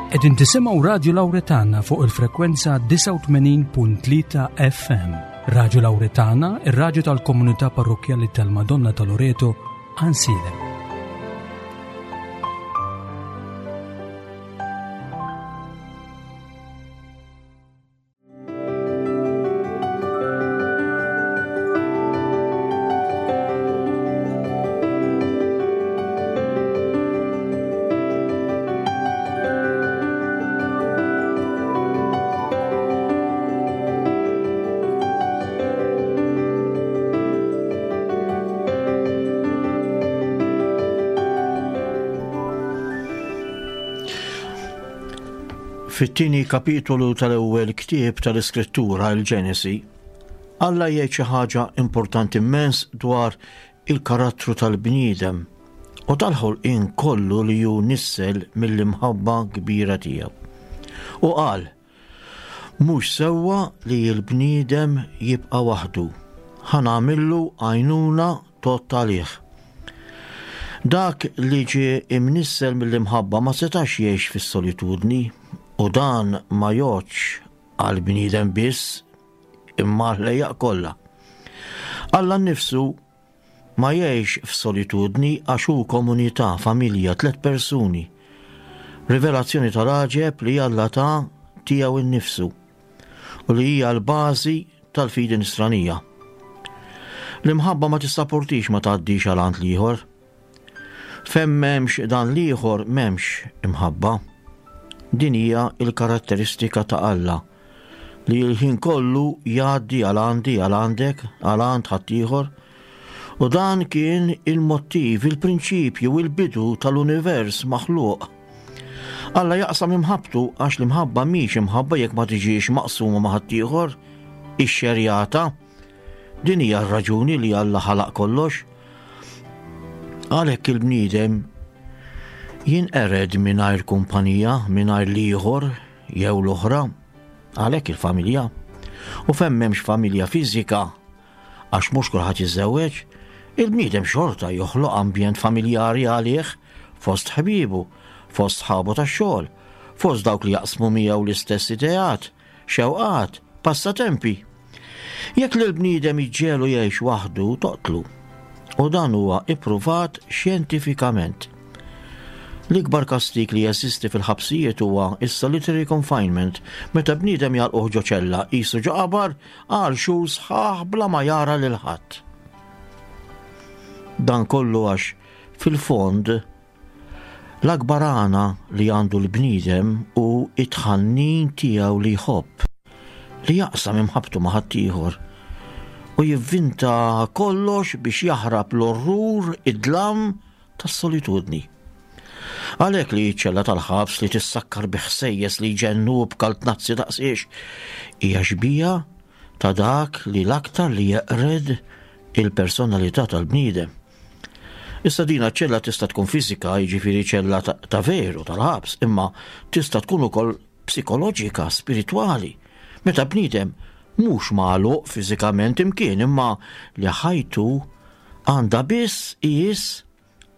Qegħdin tisimgħu Radju Lawretana fuq il-frekwenza 89.3 FM. Radju Lawretana, ir-radju tal-komunità parrokkjali tal-Madonna ta' Loreto, Ansilem. Fit-tieni kapitolu tal-ewwel ktieb tal-Iskrittura, il-Ġenesi, Alla jgħid xi ħaġa importanti immens dwar il-karattru tal-bniedem u tal-ħolqien kollu li hu nissel mill-imħabba kbira tiegħu. U qal, Mhux sewwa li l-bniedem jibqa' waħdu. Ħa nagħmillu għajnuna tgħodd għalih. Dak li ġie imnissel mill-imħabba ma setax jgħix fis-solitudni u dan ma jgħoddx għall-bniedem biss imma għall-ħlejjaq kollha. Alla nnifsu ma jgħix f'solitudni għax hu komunità, familja, tlett persuni. Rivelazzjoni tal-għaġeb li Alla ta tiegħu nnifsu u li hija l-bażi tal-fidi nisranija. L-imħabba ma tissaportix ma tgħaddix għal għand l-ieħor. Fejn m'hemmx dan l-ieħor m'hemmx imħabba. Din hija l-karatteristika ta' Alla li l-ħin kollu jgħaddi għal għandi, għal għandek, għal għand ħaddieħor. U dan kien il-mottiv, il-prinċipju, il-bidu tal-univers maħluq. Alla jaqsam imħabbtu għax l-imħabba mhix imħabba jekk ma tiġix maqsuma ma' ħaddieħor, ixxerjata. Din hija r-raġuni li Alla ħalaq kollox. Għalhekk il-bniedem jinqered mingħajr kumpanija, mingħajr l-ieħor jew l-oħra, għalhekk il-familja. U fejn m'hemmx familja fiżika, għax mhux kulħadd jiżżewweġ, il-bniedem xorta joħloq ambjent familjari għalih fost ħbiebu, fost sħabu tax-xogħol, fost dawk li jaqsmu miegħu l-istess ideat, xewqat, passatempi. Jekk lill-bniedem iġġegħlu jgħix waħdu, toqtlu. U dan huwa ippruvat xjentifikament. L-ikbar kastig li jeżisti fil-ħabsijiet huwa s-solitary confinement, meta bniedem jagħlquh ġo ċella qisu ġo qabar għal xhur sħaħ bla ma jara lil ħadd. Dan kollu għax fil-fond L-akbar għana li għandu l-bniedem hu t-tħannin tiegħu li jħobb, li jaqsam imħabbtu ma' ħaddieħor u jivvinta kollox biex jaħrab l-orrur, id-dlam tas-solitudni. Għalhekk li ċ-ċella tal-ħabs li tissakkar bi ħsejjes li jġennu u b'kaltnazzi daqsiex hija xbieha ta' dak li l-aktar li jeqred il-personalità tal-bniedem. Issa dina ċella tista' tkun fiżika, jiġifieri ċella ta' veru tal-ħabs, imma tista' tkun ukoll psikoloġika, spiritwali. Meta bniedem mhux magħluq fiżikament imkien imma li ħajtu għandha biss qies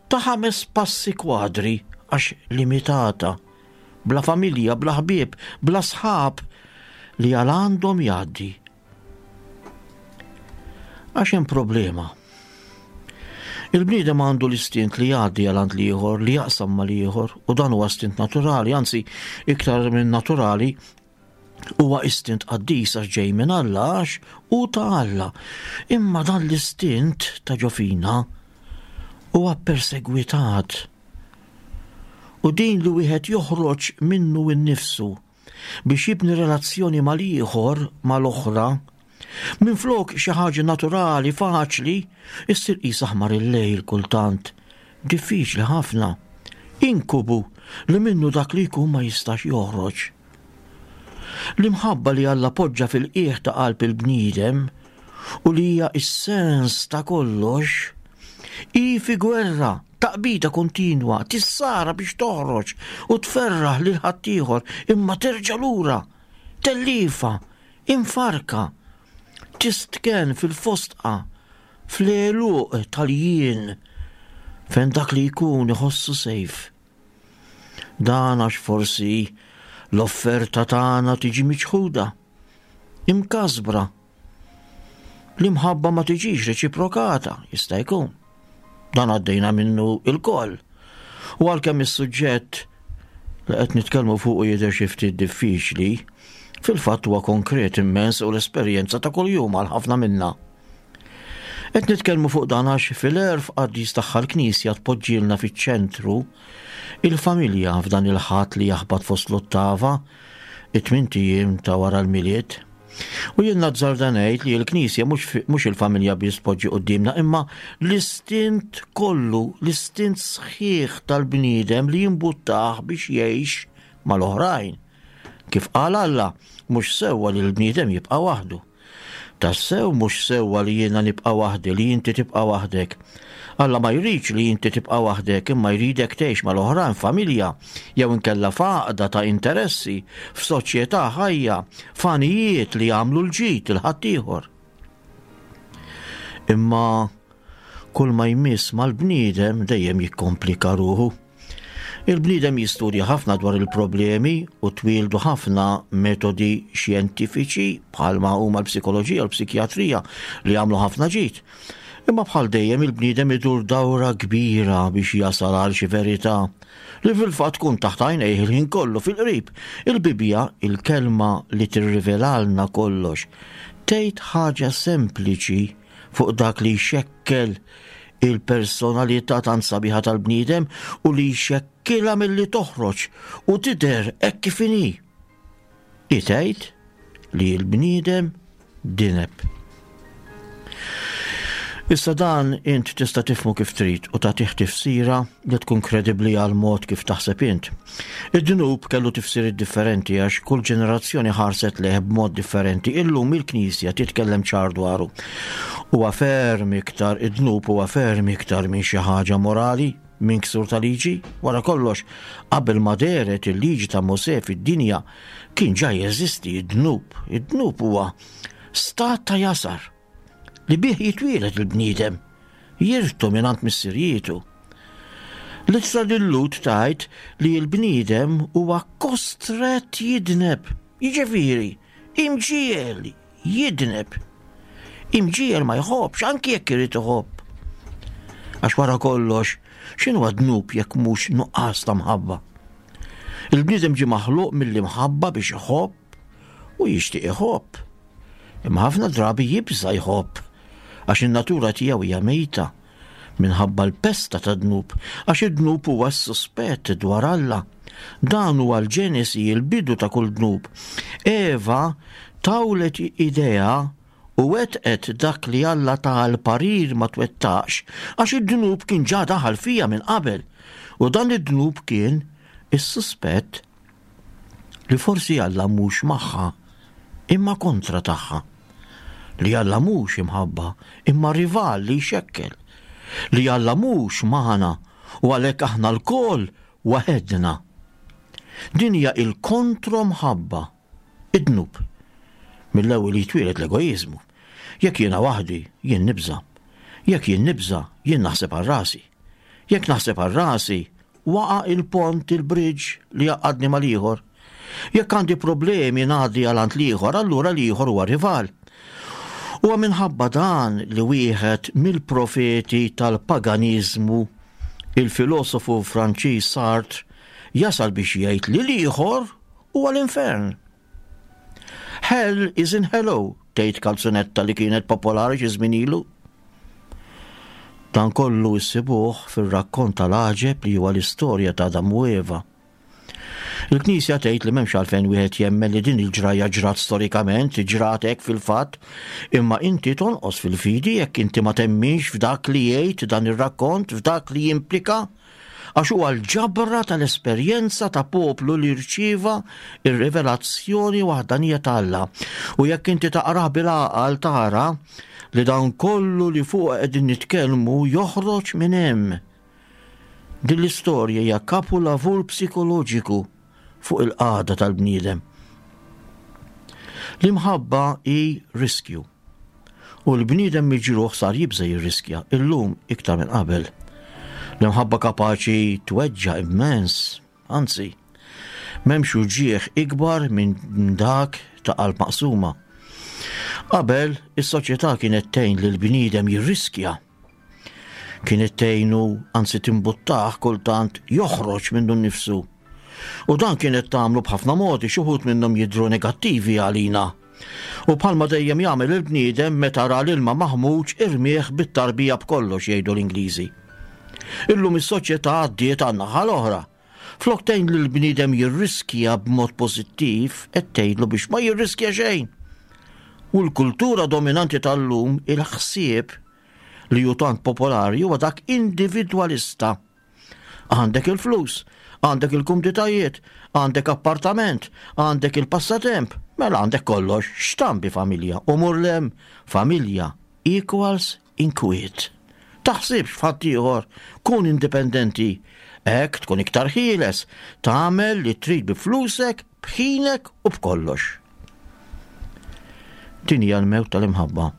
ta' ħames passi kwadri għax limitata, bla familja, bla ħbieb, bla sħab li għal għandhom jgħaddi. Għax hemm problema. Il-bniedem għandu l-istint li jgħaddi għal għand l-ieħor, li jaqsam mal-ieħor, u dan huwa stint naturali, anzi iktar minn naturali, huwa istint qaddis għax ġej minn Alla għax hu ta' Alla. Imma dan l-istint ta' ġofina huwa persegwitat. U din li wieħed joħroġ minnu nnifsu biex jibni relazzjoni mal-ieħor, mal-oħra, minflok xi ħaġa naturali, faċli, issir qisha aħmar il-lejl kultant, diffiċli ħafna, inkubu li minnu dak li jkun ma jistax joħroġ. L-imħabba li Alla poġġa fil-qiegħ ta' qalb il-bniedem u li hija s-sens ta' kollox, hi fi gwerra Taqbida kontinwa, tissara biex toħroġ u tferraħ lil ħaddieħor imma terġa' lura, telliefa, imfarrka, tistkenn fil-fosdqa, fl-għeluq tal-jien fejn dak li jkun iħossu safe. Dan għax forsi l-offerta tagħna tiġi miċħuda, imkasbra. L-imħabba ma tiġix reċiprokata, jista' jkun. Dan għaddejna minnu il-koll. U għalkemm is-suġġett li qed nitkellmu fuqu jidher xi ftit diffiċli, fil-fatt huwa konkret immens u l-esperjenza ta' kuljum għal ħafna minna. Qed nitkellmu fuq dan għax fil-għerf qaddis tagħha l-Knisja tpoġġielna fiċ-ċentru il-familja f'dan il-Ħadd li jaħbat fost l-ottava, it-tmint ijiem ta' wara l-Milied. U jien nazzarda ngħid li l-Knisja mhux il-familja biss tpoġġi quddiemna imma l-istint kollu, l-istint sħiħ tal-bniedem li jimbuttah biex jgħix mal-oħrajn. Kif qal Alla, mhux sewwa li l-bniedem jibqa' waħdu. Tassew mhux sewwa li jiena nibqa' waħdi, li inti tibqa' waħdek. Alla ma jridx li inti tibqa' waħdek, imma jridek tgħix mal-oħrajn f'familja, jew inkella f'għaqda ta' interessi, f'soċjetà ħajja, f'għanijiet li jagħmlu l-ġid lil ħaddieħor. Imma kull ma jmiss mal-bniedem dejjem jikkomplika ruħu. Il-bniedem jistudja ħafna dwar il-problemi u twieldu ħafna metodi xjentifiċi bħalma huma l-psikoloġija u l-psikjatrija li għamlu ħafna ġid. Imma bħal dejjem il-bniedem idur dawra kbira biex jasal għal xi verità li fil-fatt tkun taħt għajnejh il-ħin kollu fil-qrib. Il-Bibbja, il-kelma li tirrivelalna kollox, tgħid ħaġa sempliċi fuq dak li jxekkel il-personalità tant sabiħa tal-bniedem u li jxekkilha milli toħroġ u tidher hekk kif inhi. Hi tgħid li l-bniedem dineb. Issa dan int tista' tifhmu kif trid u tagħtih tifsira li tkun kredibbli għal mod kif taħseb int. Id-dnub kellu tifsiriet differenti għax kull ġenerazzjoni ħarset lejh b'mod differenti. Illum il-Knisja titkellem ċar dwaru. Huwa ferm iktar id-dnub huwa ferm iktar minn xi ħaġa morali, minn ksur ta' liġi. Wara kollox, qabel ma dehret il-liġi ta' Mosè fid-dinja, kien ġa jeżisti id-dnub. Id-dnub huwa stat ta' jasar li bih jitwieled il-bniedem, jirtu mingħand missirjietu. L-ittra lil-Lhud tgħid li l-bniedem huwa kostrett jidneb, jiġifieri, imġiegħel jidneb. Imġiegħel ma jħobbx anki jekk irid iħobb. Għax wara kollox, x'inhuwa dnub jekk mhux nuqqas ta' mħabba? Il-bniedem ġie maħluq mill-imħabba biex iħobb u jixtieq iħobb. Imma ħafna drabi jibża' jħobb għax in-natura tiegħu hija mejta minħabba l-pesta tad-dnub, għax id-dnub huwa s-suspett dwar Alla. Dan huwa l-ġenesi, il-bidu ta' kull dnub. Eva tawlet idea u wettqet dak li Alla ta l-parir ma twettaqx għax id-dnub kien ġa daħal fija minn qabel. U dan id-dnub kien is-suspett li forsi Alla mhux magħha, imma kontra tagħha. Li Alla mhux imħabba, imma rival li jxekkel. Li Alla mhux magħna u għalhekk aħna lkoll waħedna. Din hija il-kontro-mħabba, id-dnub. Mill-ewwel jitwieled l-egoiżmu. Jekk jiena waħdi, jien nibża'. Jekk jien nibża', jien naħseb għal rasi. Jekk naħseb għal rasi, Waqa' il-pont, il-bridge, li jgħaqqadni mal-ieħor. Jekk għandi problemi ngħaddi għal għand l-ieħor, allura l-ieħor huwa rival. Huwa minħabba dan li wieħed mill-profeti tal-paganiżmu, il-filosofu Franċiż Sartre, jasal biex jgħid li l-ieħor huwa l-infern. Hell is in hello, tgħid kalzunetta li kienet popolari xi żmien ilu. Dan kollu issibuh fir-rakkont tal-għaġeb li huwa l-istorja ta' Adam u Eva. Il-Knisja tgħid li m'hemmx għalfejn wieħed jemmen li din il-ġrajja ġrat storikament, ġrat hekk fil-fatt, imma inti tonqos fil-fidi jekk inti ma temminx f'dak li jgħid dan ir-rakkont, f'dak li jimplika għax huwa l-ġabra tal-esperjenza ta' poplu li rċieva r-rivelazzjoni waħdanija ta' Alla. U jekk inti taqrah bil-għaqal tara li dan kollu li fuq qegħdin nitkellmu joħroġ minn hemm. Din l-istorja hija kapulavur psikoloġiku fuq il-qagħda tal-bniedem. L-imħabba hi riskju. U l-bniedem miġruħ sar jibża' jirriskja, illum iktar minn qabel. L-imħabba kapaċi tweġġa' immens. Anzi, m'hemmx uġigħ ikbar minn dak ta' qalb maqsuma. Qabel, is-soċjetà kienet tgħin lill-bniedem jirriskja. Kienet tgħinu, anzi timbuttah kultant joħroġ minnu nnifsu. U dan kienet tagħmlu b'ħafna modi, xi wħud minnhom jidhru negattivi għalina. U bħalma dejjem jagħmel il-bniedem meta ra l-ilma maħmuġ irmieh bit-tarbija b'kollox jgħidu l-Ingliżi. Illum is-soċjetà għaddiet għan-naħa l-oħra. Flok tgħin lill-bniedem jirriskja b'mod pożittiv, qed tgħidlu biex ma jirriskja xejn. U l-kultura dominanti tal-lum, il-ħsieb li hu tant popolari huwa dak individwalista. Għandek il-flus, għandek il-kumditajiet, għandek appartament, għandek il-passatemp, mela għandek kollox, x'tambi familja u mur lem familja equals inkwiet. Taħsibx f'ħaddieħor, kun indipendenti. Hekk tkun iktar ħieles, tagħmel li trid bi flusek, b'ħinek u b'kollox. Din hija l-mewt tal-imħabba.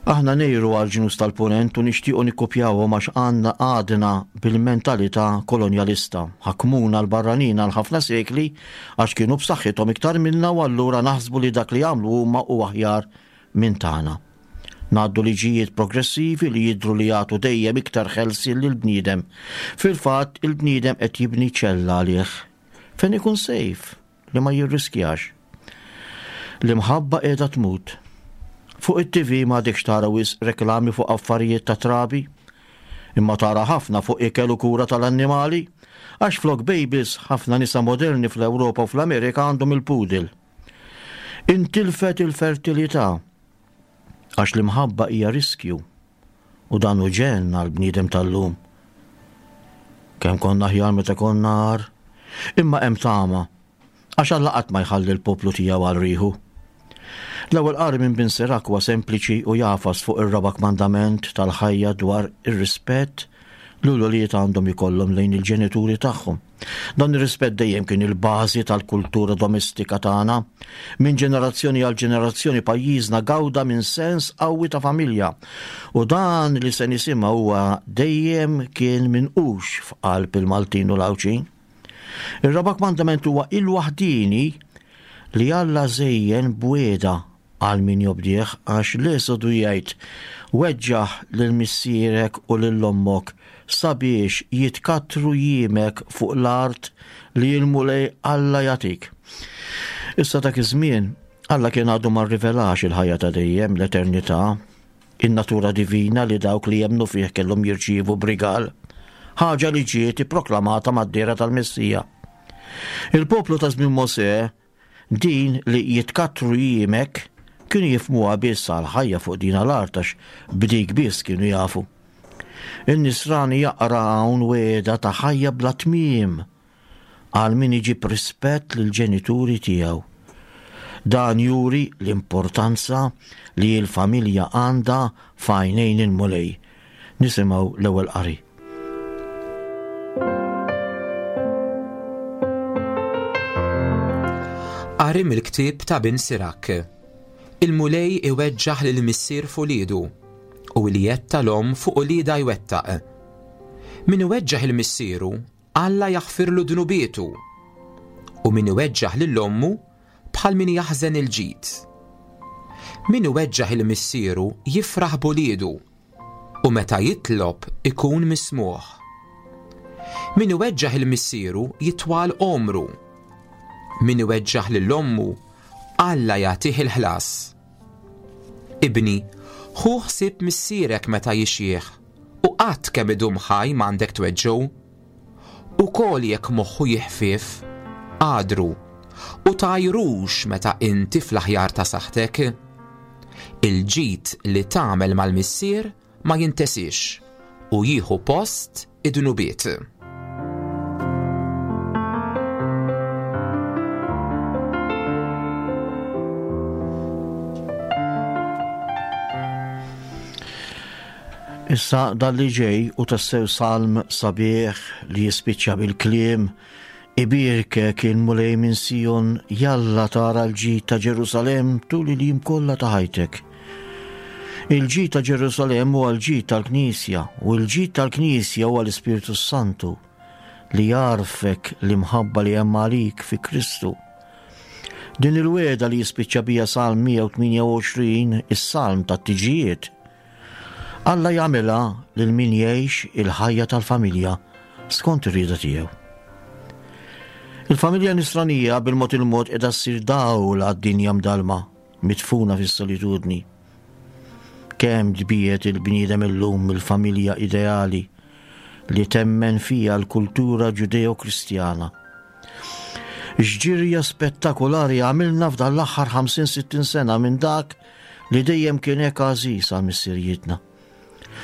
Aħna ngħiru għal ġnus tal-punent u nixtiequ nikkupjawhom għax għandna għadna bil-mentalità kolonjalista. Ħakmuna l-barranin għal ħafna sekli għax kienu b'saħħithom iktar minna u allura naħsbu li dak li għamlu huma hu aħjar minn tagħna. Ngħaddu liġijiet progressivi li jidhru li jagħtu dejjem iktar ħelsien lill-bniedem. Fil-fatt, il-bniedem qed jibni ċella għalih fejn ikun safe li ma jirriskjax. L-imħabba qiegħda tmut. Fuq it-TV m'għadekx tara wisq reklami fuq affarijiet ta' trabi, imma tara ħafna fuq ikel u kura tal-annimali, għax flok babies ħafna nisa moderni fl-Ewropa u fl-Amerika għandhom il-poodle. Intilfet il-fertilità għax l-imħabba hija riskju u dan hu ġenn għall-bniedem tal-lum. Kemm konna aħjar meta konna agħar, imma hemm tama għax Alla qatt ma jħalli l-poplu tiegħu għal riħu. L-ewwel qari minn Bin Sirak huwa sempliċi u jagħfas fuq ir-raba' kmandament tal-ħajja dwar ir-rispett li l-ulied għandhom ikollhom lejn il-ġenituri tagħhom. Dan ir-rispett dejjem kien il-bażi tal-kultura domestika tagħna. Minn ġenerazzjoni għal ġenerazzjoni pajjiżna gawda minn sens qawwi ta' familja. U dan li se nisimgħu huwa dejjem kien minqux f'qalb il-Maltin u l-Għawdxin. Ir-raba' kmandament huwa il-waħdieni li Alla żejjen b'wiegħda għal min jobdih għax l-Esodu jgħid, Weġġaħ lil missierek u lil ommok sabiex jitkattru jiemek fuq l-art li l-Mulej Alla jagħtik. Issa dak iż-żmien Alla kien għadu ma rrivelax il-ħajja ta' dejjem, l-eternità, in-natura divina li dawk li jemmnu fih kellhom jirċievu b'rigal, ħaġa li ġiet ipproklamata mad-dehra tal-Messija. Il-poplu ta' żmien Mosè Din li jitkattru jiemek kienu jifhmuha biss għall-ħajja fuq dina l-art għax b'dik biss kienu jafu. In-Nisrani jaqra hawn wegħda ta' ħajja bla tmiem għal min iġib rispett lill-ġenituri tiegħu. Dan juri l-importanza li l-familja għandha f'għajnejn il-Mulej. Nisimgħu l-ewwel qari. Qari mill-ktieb ta' Bin Sirak. Il-Mulej iweġġaħ lil missier f'uliedu u l-jedd tal-omm fuq uliedha jwettaq. Min iweġġaħ il-missieru, Alla jaħfirlu dnubietu, u min iweġġaħ lil ommu bħal min jaħżen il-ġid. Min iweġġaħ il-missieru jifraħ b'uliedu, u meta jitlob ikun mismugħ. Min iweġġaħ il-missieru jitwal għomru. Min iweġġaħ lil ommu, Alla jagħtih il-ħlas. Ibni, ħu ħsieb missierek meta jixjieħ, u qatt kemm idum ħaj m'għandek tweġġgħu. Ukoll jekk moħħu jiħfief, għadru, u tgħajrux meta inti fl-aħjar ta' saħħtek. Il-ġid li tagħmel mal-missier ma jintesiex u jieħu post id-dnubiet. Issa dan li ġej u tassew salm sabiħ li jispiċċa bil-kliem Ibierkek il-Mulej minn Sijon, jalla tara l-ġid ta' Ġerusalemm tul il-jiem kollha ta' ħajtek. Il-ġid ta' Ġerusalemm huwa l-ġid tal-Knisja u l-ġid tal-Knisja huwa l-Ispirtu Santu. li jgħarrfek l-imħabba li hemm għalik fi Kristu. Din il-wegħda li jispiċċa bija Salm 128, is-Salm tat-tiġijiet, Alla jagħmilha lil min jgħix il-ħajja tal-familja skont ir-rieda tiegħu. Il-familja nisranija bil-mod il-mod qiegħda ssir dawl għad-dinja mdalma, midfuna fis-solitudni. Kemm tbiegħed il-bniedem illum mill-familja ideali li temmen fiha l-kultura Ġudeo-Kristjana. X'ġirja spettakulari għamilna f'dan l-aħħar 50-60 sena minn dak li dejjem kien hekk għażiż għal missirijietna.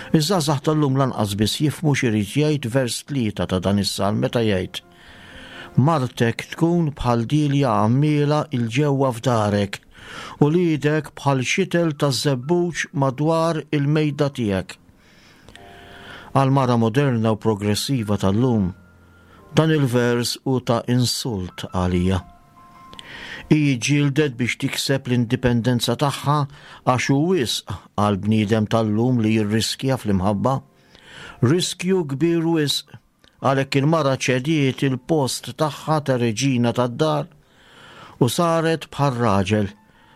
Iż-żgħażagħ tal-lum lanqas biss jifhmu x'irid jgħid vers tlieta ta' dan is-salm meta jgħid, Martek tkun bħal dielja għammiela 'l ġewwa f'darek, uliedek bħal xitel taż-żebbuġ madwar il-mejda tiegħek. Għall-mara moderna u progressiva tal-lum, dan il-vers hu ta' insult għalija. Hi ġġieldet biex tikseb l-indipendenza tagħha għax hu wisq għall-bniedem tal-lum li jirriskja fl-imħabba. Riskju kbir wisq, għalhekk il-mara ċediet il-post tagħha ta' reġina tad-dar u saret bħar-raġel,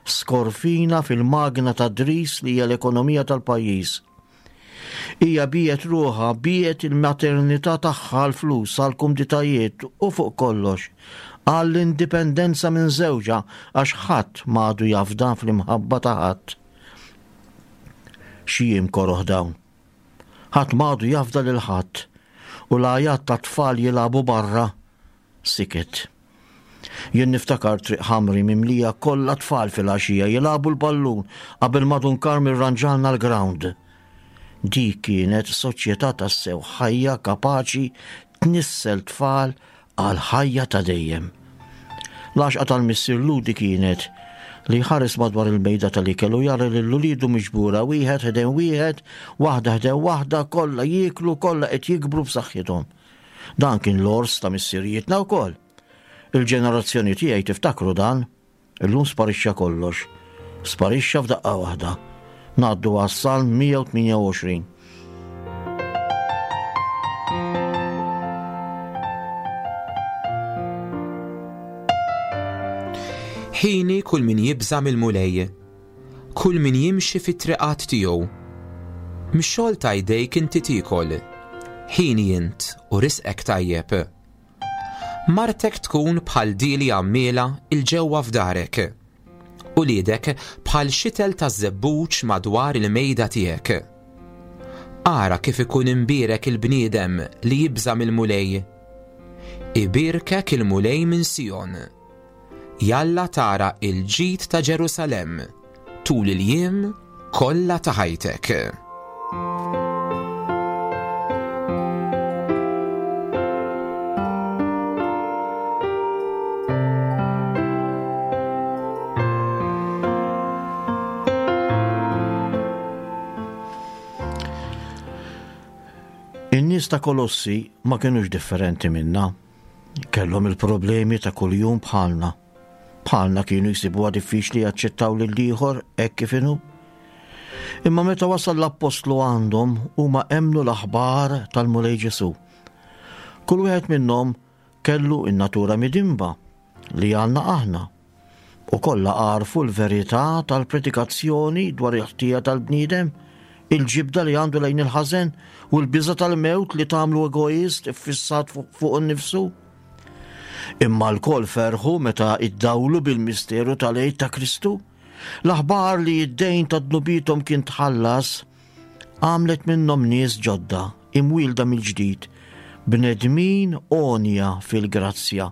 skorfina fil-magna tad-dris li hija l-ekonomija tal-pajjiż. Hija biegħet ruħha, biegħet il-maternità tagħha għall-flus, għall-kumditajiet u fuq kollox, għall-indipendenza minn żewġha għax ħadd m'għadu jafda fl-imħabba ta' ħadd. Xi jiem koroh dawn. Ħadd m'għadu jafda lil ħadd u l-għajat tat-tfal jilagħbu barra siket. Jien niftakar Triq Ħamri mimlija kollha tfal filgħaxija jilagħbu l-ballun qabel ma Dun Karm irranġalna l-grawnd. Dik kienet soċjetà tassew ħajja kapaċi tnissel tfal għall-ħajja ta' dejjem. L-għaxqa tal-missier Lhudi kienet li jħares madwar il-mejda tal-ikel u jara lil uliedu miġbura wieħed ħdejn wieħed, waħda ħdejn waħda, kollha jieklu, kollha qed jikbru b'saħħithom. Dan kien l-għors ta' missirijietna wkoll. Il-ġenerazzjoni tiegħi tiftakru dan. Illum sparixxa kollox. Sparixxa f'daqqa waħda. Ngħaddu għas-Salm 128. Ħini kull min jibża' mill-Mulej. Kull min jimxi fit-triqat tiegħu. Mix-xogħol ta' jdejk inti tiekol. Ħini int u risqek tajjeb. Martek tkun bħal dieli għammiela 'il ġewwa f'darek. Uliedek bħal xitel taż-żebbuġ madwar il-mejda tiegħek. Ara kif ikun imbierek il-bniedem li jibża' mill-Mulej. Ibierkek il-Mulej minn Sijon. Jalla tara l-ġid ta' Ġerusalemm tul il-jiem kollha ta' ħajtek. In-nies ta' Kolossi ma kinux differenti minna. Kellhom il-problemi ta' kuljum bħalna. Bħalna kienu jsibuha diffiċli jaċċettaw lill-ieħor hekk kif inhu. Imma meta wasal l-appostlu għandhom huma emmnu l-aħbar tal-Mulej Ġesù. Kull wieħed minnhom kellu n-natura midinba li għandna aħna. U kollha għarfu l-verità tal-predikazzjoni dwar il-ħtija tal-bniedem, il-ġibda li għandu lejn il-ħażen u l-biża' tal-mewt li tagħmlu egoist iffissat fuq innifsu. Imma lkoll ferħu meta iddawlu bil-misteru tal-Għid ta' Kristu. L-aħbar li d-dejn ta' dnubiethom kien tħallas għamlet minnhom nies ġodda, imwielda mill-ġdid, bnedmin għonja fil-grazzja.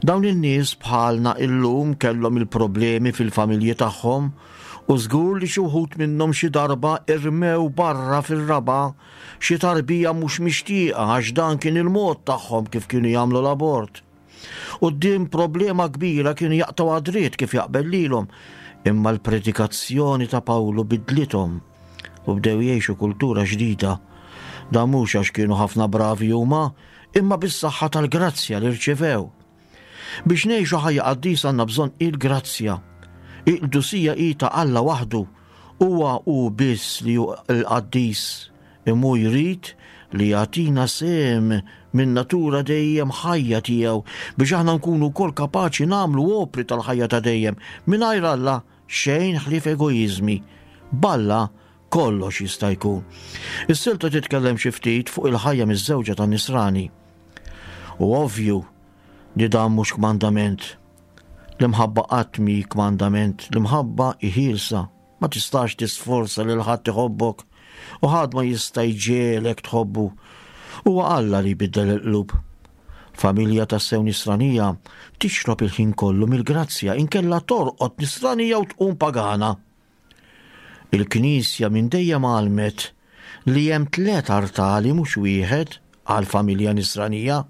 Dawn in-nies bħalna illum kellhom il-problemi fil-familji tagħhom u żgur li xi wħud minnhom xi darba irmew barra fir-raba' xi tarbija mhux mixtieqa għax dan kien il-mod tagħhom kif kienu jagħmlu l-abort. Quddiem problema kbira kienu jaqtgħu għad-dritt kif jaqbel lilhom, imma l-predikazzjoni ta' Pawlu bidlithom u bdew jgħixu kultura ġdida. Dan mhux għax kienu ħafna bravi huma, imma bis-saħħa tal-grazzja li rċevew. Biex ngħixu ħajja qaddisa għandna bżonn il-grazzja. Il-qdusija hi ta' Alla waħdu. Huwa hu biss li hu l-qaddis, imma hu jrid li jagħtina sehem min-natura dejjem ħajja tiegħu biex aħna nkunu wkoll kapaċi nagħmlu opri tal-ħajja ta' dejjem. Mingħajr Alla xejn ħlief egoiżmi. B'Alla kollox jista' jkun. Is-silta titkellem xi ftit fuq il-ħajja miż-żewġa tan-nisrani. U ovvju li dan mhux kmandament. L-imħabba qatt mhi kmandament, l-imħabba hi ħielsa. Ma tistax tisforza lil ħadd iħobbok u ħadd ma jista' jġiegħlek tħobbu. Huwa Alla li jbiddel il-qlub. Familja tassew nisranija tixrob il-ħin kollu mill-grazzja inkella torqod nisranija u tqum pagana. Il-Knisja minn dejjem għallmet li hemm tlett artali mhux wieħed għall-familja nisranija.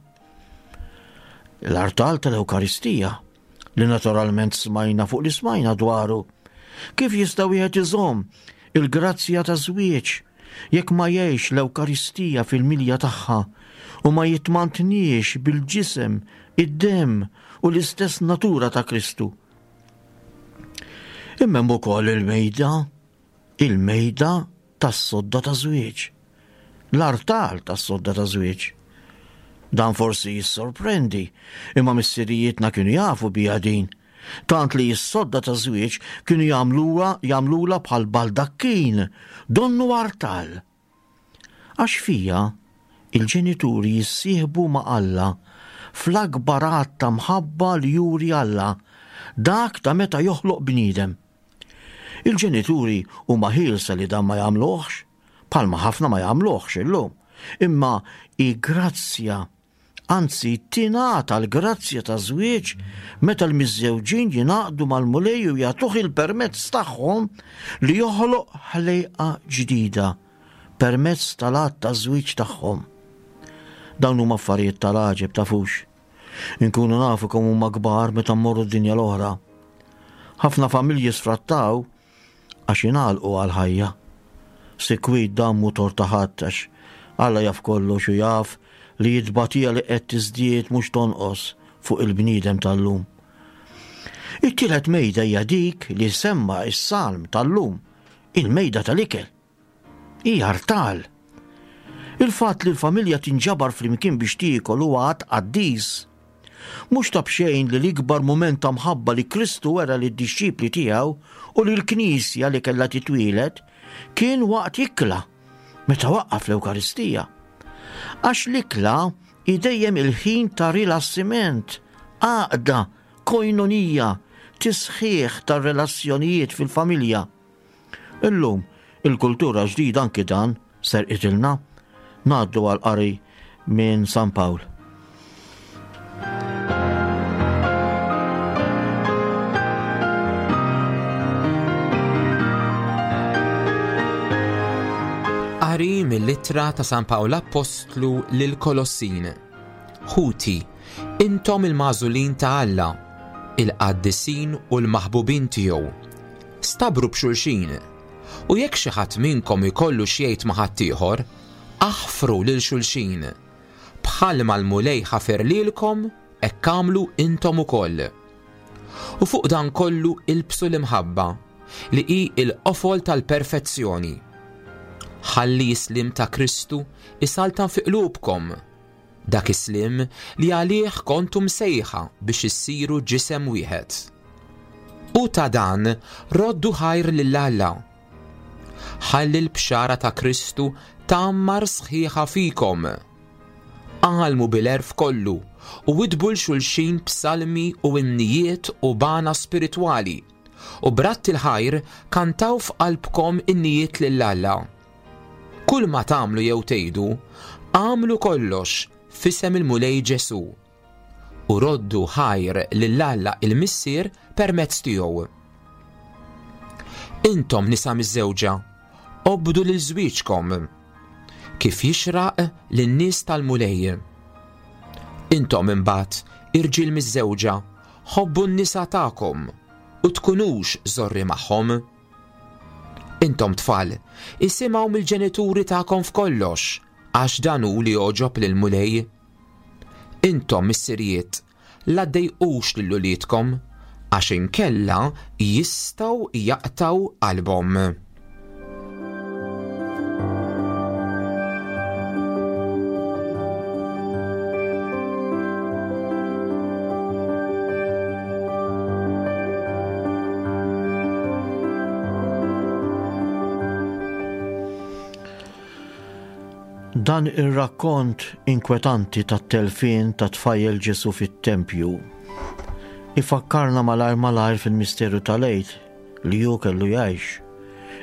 L-artal tal-Ewkaristija, li naturalment smajna fuq li smajna dwaru. Kif jista' wieħed iżomm il-grazzja ta' żwieġ jekk ma jgħix l-Ewkaristija fil-milja tagħha u ma jitmantniex bil-ġisem, id-demm u l-istess natura ta' Kristu? Imma hemm ukoll il-mejda, il-mejda tas-sodda ta' żwieġ. L-artal tas-sodda ta' żwieġ. Dan forsi jissorprendi, imma missirijietna kienu jafu biha din. Tant li s-sodda ta' żwieġ kienu jagħmluha jagħmlula bħal baldakkin, donnu artal. Għax fija, il-ġenituri jissieħbu ma' Alla fl-akbar att ta' mħabba li juri Alla, dak ta' meta joħloq bniedem. Il-ġenituri huma ħielsa li dan ma jagħmluhx, bħalma ħafna ma jagħmluhx illum, imma hi grazzja Anzi, tingħata l-grazzja taż-żwieġ meta l-miżżewġin jingħaqdu mal-Mulej u jagħtuh il-permezz tagħhom li joħloq ħlejqa ġdida permezz tal-att taż-żwieġ tagħhom. Dawn huma affarijiet tal-għaġeb tafux. Inkunu nafu kemm huma kbar meta mmorru d-dinja l-oħra. Ħafna familji sfrattaw għax ingħalqu għall-ħajja. Sikwit dan mhu tort ta' ħadd għax Alla jaf kollox u jaf li t-tbatija li qed tiżdied mhux tonqos fuq il-bniedem tal-lum. It-tielet mejda hija dik li semma s-salm tal-lum, il-mejda tal-ikel. Hi artal. Il-fatt li l-familja tinġabar flimkien biex tiekol huwa att qaddis. Mhux ta' b'xejn li l-ikbar mument ta' mħabba li Kristu wera lid-dixxipli tiegħu u lill-Knisja li kellha titwieled kien waqt ikla, meta waqqaf l-Ewkaristija. Għax l-ikla hi dejjem il-ħin ta' rilassiment, għaqda, koinonija, tisħiħ tar-relazzjonijiet fil-familja. Illum, il-kultura ġdida anki dan serqitilna. Ngħaddu għal qari minn San Pawl. Qari mill-ittra ta' San Pawl Appostlu lil Kolossin. Ħuti, intom il-magħżulin ta' Alla, il-qaddisin u l-maħbubin tiegħu. Stabru b'xulxin, u jekk xi ħadd minnkom ikollu x'jgħid ma' ħaddieħor, aħfru lil xulxin. Bħalma l-Mulej ħafer lilkom, hekk agħmlu intom ukoll. U fuq dan kollu ilbsu l-imħabba, li hi l-qofol tal-perfezzjoni. Ħalli s-sliem ta' Kristu jsaltan fi qlubkom, Dak is-sliem li għalih kontu msejħa biex issiru ġisem wieħed. U ta' dan roddu ħajr lil Alla. Ħalli l-bxara ta' Kristu tgħammar sħiħa fikom. Għallmu bil-għerf kollu u widbu 'l xulxin b'salmi u innijiet u b'għana spiritwali, u b'radd il-ħajr kantaw f'qalbkom innijiet lil Alla. Kull ma tagħmlu jew tgħidu, agħmlu kollox f'isem il-Mulej Ġesù, u roddu ħajr lil Alla il-Missier permezz tiegħu. Intom nisa miżżewġa, obdu lil żwieġkom, kif jixraq lin-nies tal-Mulej. Intom imbagħad, irġiel miżżewġa, ħobbu n-nisa tagħkom u tkunux żorri magħhom. Intom tfal, isimgħu mill-ġenituri tagħkom f'kollox, għax dan hu li jogħġob lill-Mulej. Intom missirijiet, la ddejqux lil uliedkom, għax inkella jistgħu jaqtgħu qalbhom. Dan ir-rakkont inkwetanti tat-telfien tat-tfajjel Ġesù fit-tempju ifakkarna malajr malajr fil-misteru tal-Għid li hu kellu jgħix.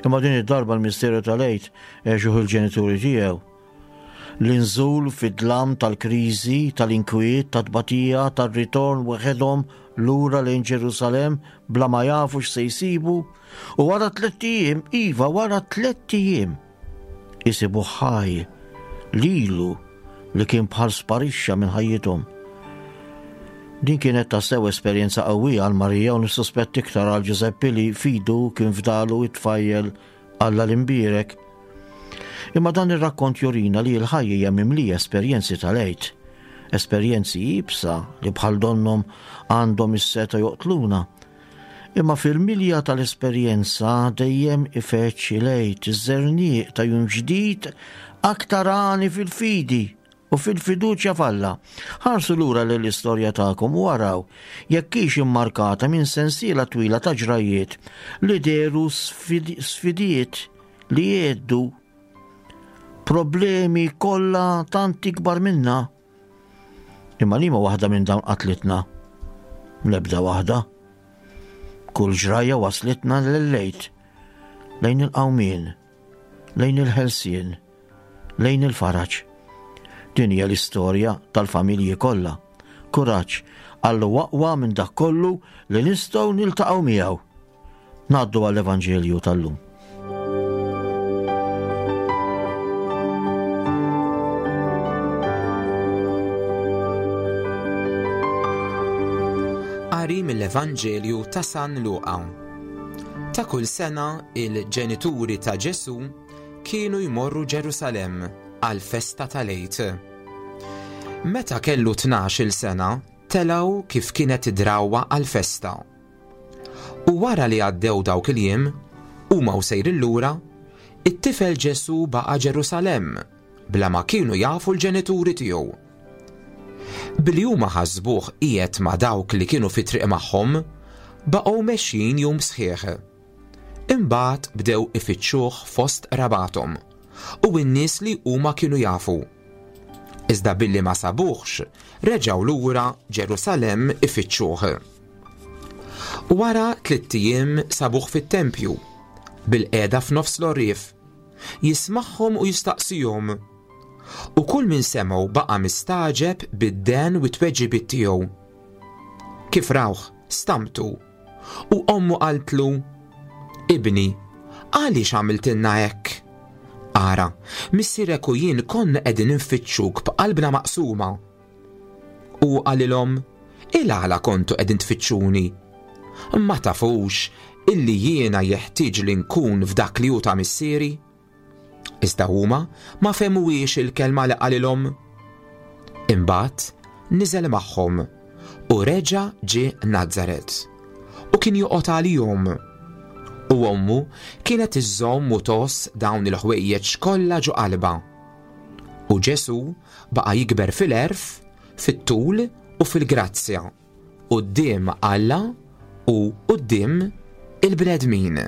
Imma din id-darba l-misteru tal-Għid għexuh il-ġenituri tiegħu. L-inżul fid-dlam tal-kriżi, tal-inkwiet, tat-tbatija, tar-ritorn weħedhom lura lejn Ġerusalemm bla ma jafu x'se jsibu, u wara tlett ijiem, iva wara tlett ijiem, isibuh ħaj lilu li kien bħal sparixxa minn ħajjithom. Din kienet tassew esperjenza qawwija għal Marija u nissuspett iktar għal Ġużeppi li fidu kien fdalu it-tfajjel Alla l-imbierek. Imma dan ir-rakkont jurina li l-ħajja hija mimlija esperjenzi tal-Għid, esperjenzi iebsa li bħal donnhom għandhom is-setgħa joqtluna. Imma fil-milja tal-esperjenza dejjem ifeġġ il-Għid, iż-żerniq ta' jum ġdid aktar għani fil-fidi u fil-fiduċja f'Alla. Ħarsu lura lejn l-istorja tagħkom u araw jekk hix immarkata minn sensiela twila ta' ġrajjiet li dehru sfidiet li jgħeddu problemi kollha tant ikbar minna. Imma liema waħda minn dawn qatlitna? L-ebda waħda. Kull ġrajja waslitna lil-lejt, lejn il-qawmien, lejn il-ħelsien. lejn il-faraġ. Din hija l-istorja tal-familji kollha. Kuraġġ, Alla huwa aqwa minn dak kollu li nistgħu niltaqgħu miegħu. Ngħaddu għall-Evanġelju tal-lum. Qari mill-Evanġelju ta' San Luqa. Ta' kull sena il-ġenituri ta' Ġesù kienu jmorru Ġerusalemm għall-festa tal-Għid. Meta kellu tnax-il sena, telgħu kif kienet id-drawwa għall-festa. U wara li għaddew dawk il-jiem, huma u sejrin lura, it-tifel Ġesù baqa' Ġerusalemm, bla ma kienu jafu l-ġenituri tiegħu. Billi huma ħasbuh qiegħed ma' dawk li kienu fit-triq magħhom, baqgħu mexjin jum sħiħ. Imbagħad bdew ifittxuh fost qrabathom u n-nies li huma kienu jafu. Iżda billi ma sabuhx, reġgħu lura Ġerusalemm ifittxuh. Wara tlitt ijiem sabuh fit-tempju, bilqiegħda f'nofs l-għorrief, jismagħhom u jistaqsihom. U kull min semgħu baqa' mistagħġeb bid-dehen u t-tweġibiet tiegħu. Kif rawh, stamtu U ommu qaltlu, Ibni, għaliex għamiltilna hekk? Ara, missierek u jien konna qegħdin infittxuk b'qalbna maqsuma. U qalilhom, Il-għala kontu qegħdin tfittxuni? Ma tafux illi jiena jeħtieġ li nkun f'dak li hu ta' missieri? Iżda huma ma fehmuhiex il-kelma li qalilhom. Imbagħad niżel magħhom u reġa' ġie Nazaret u kien joqgħod għalihom. U ommu kienet iżżomm u tgħożż dawn il-ħwejjeġ kollha ġo qalbha. U Ġesù baqa' jikber fil-għerf, fit-tul u fil-grazzja quddiem Alla u quddiem il-bnedmin.